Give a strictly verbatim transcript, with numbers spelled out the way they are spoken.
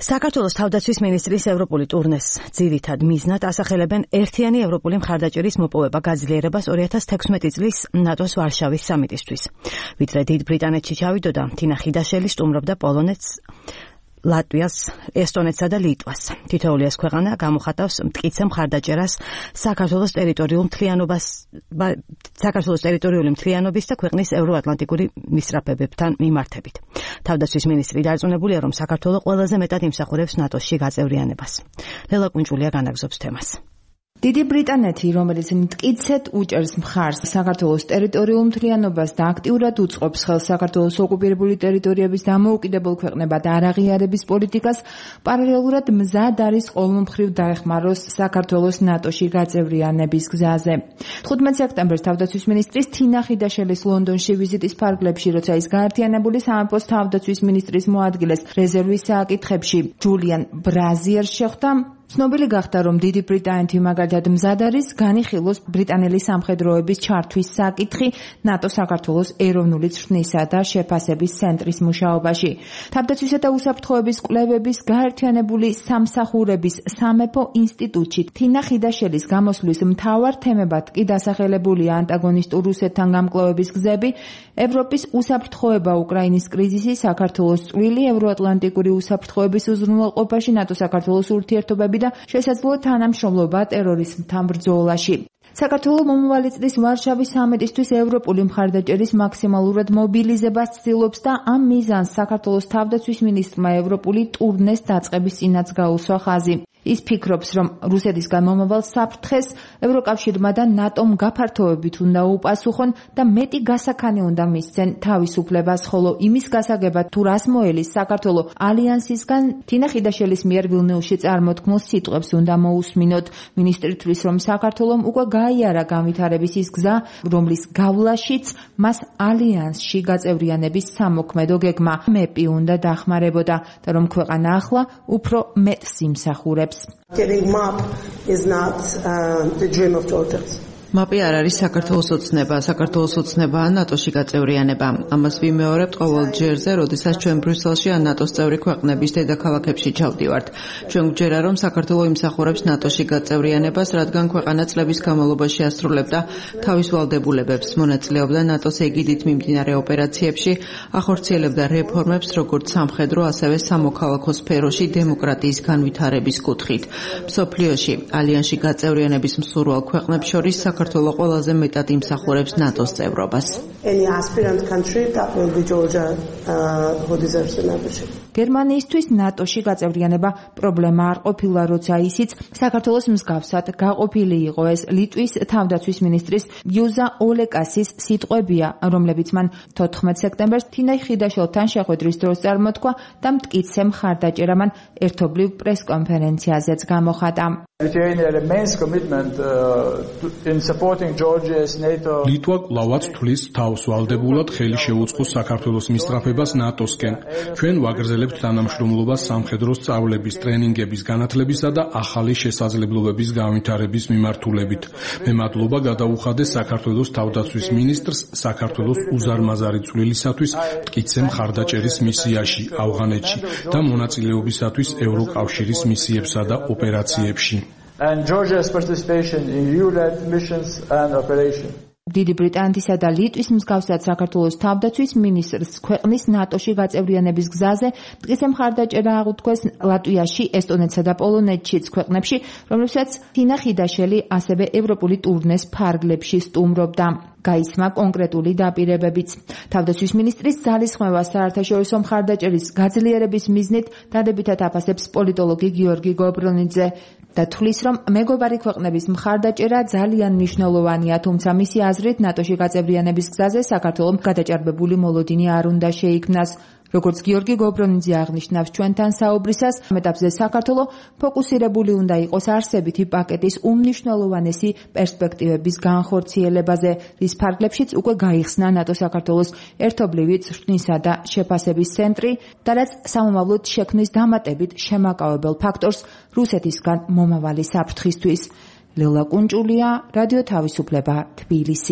საქართველოს თავდაცვის მინისტრის ევროპული ტურნეს ძირითად მიზნად ასახელებენ ერთიანი ევროპული მხარდაჭერის მოპოვება გაძლიერებას ორი ათას თექვსმეტი წლის ნატოს ვარშავის სამიტისთვის. ვიდრე დიდ ბრიტანეთში ჩავიდოდა, თინა ხიდაშელი სტუმრობდა პოლონეთს, ლატვიას, ესტონეთსა და ლიტვას. თითოეული ეს ქვეყანა გამოხატავს მტკიცე მხარდაჭერას საქართველოს ტერიტორიულ მთლიანობას, საქართველოს ტერიტორიული მთლიანობის და ქვეყნის ევროატლანტიკური მისწრაფებებთან მიმართებით. თავდაცვის მინისტრი დარწმუნებულია, რომ საქართველო ყველაზე მეტად იმსახურებს ნატოში გაწევრიანებას. ლელა კუნჭულია განაგზობს თემას. დიდი ბრიტანეთი, რომელიც მტკიცედ უჭერს მხარს საქართველოს ტერიტორიულ მთლიანობას და აქტიურად უწყობს ხელს საქართველოს ოკუპირებული ტერიტორიების დამოუკიდებელ ქვეყნებად არაღიარების პოლიტიკას, პარალელურად მზად არის ყოველმხრივ დაეხმაროს საქართველოს ნატოში გაწევრიანების გზაზე. თხუთმეტ სექტემბერს თავდაცვის მინისტრის თინა ხიდაშელის ლონდონში ვიზიტის ფარგლებში, როცა ის გაერთიანებული სამეფოს თავდაცვის მინისტრის მოადგილეს რეზერვის საკითხებში ჯულიან ბრაზიერს შეხვდა, ცნობილი გახდა, რომ დიდი ბრიტანეთი მაგალითად მზად არის განიხილოს ბრიტანელი სამხედროების ჩართვის საკითხი ნატო-საქართველოს ეროვნული ცხრნისა და შეფასების ცენტრის მუშაობაში. თავდაცვისა და უსაფრთხოების კვლევების გაერთიანებული სამსახურების სამეფო ინსტიტუტში თინა ხიდაშელის გამოსვლის მთავარ თემებად კი დასახელებულია ანტაგონისტურ რუსეთთან გამკლავების გზები, ევროპის უსაფრთხოება, უკრაინის კრიზისი, საქართველოს წვლილი ევროატლანტიკური უსაფრთხოების უზრუნველყოფაში, ნატო-საქართველოს ურთიერთობები და შესაძლო თანამშრომლობა ტერორიზმთან ბრძოლაში. საქართველო მომავალი წლის ვარშავის სამიტისთვის ევროპული მხარდაჭერის მაქსიმალურად მობილიზებას ცდილობს და ამ მიზანს საქართველოს თავდაცვის მინისტრმა ევროპული ტურნეს დაწყების წინაც გაუსვა ხაზი. ის ფიქრობს, რომ რუსეთისგან მომავალ საფრთხეს ევროკავშირმა და ნატომ გაფართოებით უნდა უპასუხონ და მეტი გასაქანი უნდა მისცენ თავისუფლებას, ხოლო იმის გასაგებად თუ რას მოელის საქართველო ალიანსისგან, თინა ხიდაშელის მიერ ვილნიუსში წარმოთქმულ სიტყვებს უნდა მოусმინოთ. მინისტრი თვლის, რომ საქართველომ უკვე გაიარა განვითარების ის გზა, რომლის გავლაშიც მას ალიანსში გაწევრიანების სამოქმედო გეგმა მეპი უნდა დახმარებოდა და რომ ქვეყანა ახლა უფრო მეტს იმსახურებს. Getting M A P is not uh, the dream of Georgians. მაპი არ არის საქართველოს ოცნება, საქართველოს ოცნებაა ნატოში გაწევრიანება. ამას ვიმეორებთ ყოველ ჯერზე, როდესაც ჩვენ ბრიუსელში ან ნატოს წევრი ქვეყნების დედაქალაქებში ჩავდივართ. ჩვენ გვჯერა, რომ საქართველო იმსახურებს ნატოში გაწევრიანებას, რადგან ქვეყანა წლების განმავლობაში ასრულებდა თავის ვალდებულებებს, მონაწილეობდა ნატოს ეგიდით მიმდინარე ოპერაციებში, ახორციელებდა რეფორმებს როგორც სამხედრო, ასევე სამოქალაქო სფეროში დემოკრატიის განვითარების კუთხით. მსოფლიოში ალიანსში გაწევრიანების მსურვალ ქვეყნებს შორის საქართველო ყველაზე მეტად იმსახურებს ნატოს წევრობას. Any aspirant country that will be Georgia uh, who deserves the membership. გერმანიისთვის ნატოში გაწევრიანება პრობლემა არ ყოფილა, როცა ისიც საქართველოს მსგავსად გაყოფილი იყო. ეს ლიტვის თავდაცვის მინისტრის იუზა ოლეკასის სიტყვებია, რომლებიც მან თოთხმეტ სექტემბერს თინა ხიდაშელთან შეხვედრის დროს წარმოთქვა და მტკიცე მხარდაჭერა მან ერთობლივ პრესკონფერენციაზეც გამოხატა. ლიტვა კვლავაც თვლის თავს ვალდებულად ხელი შეუწყოს საქართველოს მისწრაფებას ნატოსკენ. ჩვენ ვაგრძელებთ თანამშრომლობას სამხედრო სწავლების, ტრენინგების, განათლებისა და ახალი შესაძლებლობების განვითარების მიმართულებით. მე მადლობა გადაუხადე საქართველოს თავდაცვის მინისტრს საქართველოს უზარმაზარი წვლილისათვის მტკიცე მხარდაჭერის მისიაში ავღანეთში და მონაწილეობისათვის ევროკავშირის მისიებსა და ოპერაციებში. And Georgia's participation in E U-led missions and operations. დიდი ბრიტანეთისა და ლიტვის მსგავსად საქართველოს თავდაცვის მინისტრს ქვეყნის ნატოში გაწევრიანების გზაზე მტკიცე მხარდაჭერა აღუთქვეს ლატვიაში, ესტონეთსა და პოლონეთშიც ქვეყნებში, რომლებსაც თინა ხიდაშელი ასევე ევროპული ტურნეს ფარგლებში სტუმრობდა. გაისმა კონკრეტული დაპირებებიც. თავდაცვის მინისტრის ძალისხმევა საერთაშორისო მხარდაჭერის გაძლიერების მიზნით დადებითად აფასებს პოლიტოლოგი გიორგი გობრონიძე და თვლის, რომ მეგობარი ქვეყნების მხარდაჭერა ძალიან მნიშვნელოვანია, თუმცა მისი აზრით ნატოში გაწევრიანების გზაზე საქართველოს გადაჭარბებული მოლოდინი არ უნდა შეიქმნას. როგორც გიორგი გობრონიძე აღნიშნავს ჩვენთან საუბრისას, ამ ეტაპზე საქართველო ფოკუსირებული უნდა იყოს არსებითი პაკეტის უმნიშვნელოვანესი პერსპექტივების განხორციელებაზე, რის ფარგლებშიც უკვე გაიხსნა ნატო-საქართველოს ერთობლივი ცხრნისა და შეფასების ცენტრი და რაც სამომავლოდ შექმნის დამატებით შემაკავებელ ფაქტორს რუსეთისგან მომავალი საფრთხისთვის. ლელა კუნჭულია, რადიო თავისუფლება, თბილისი.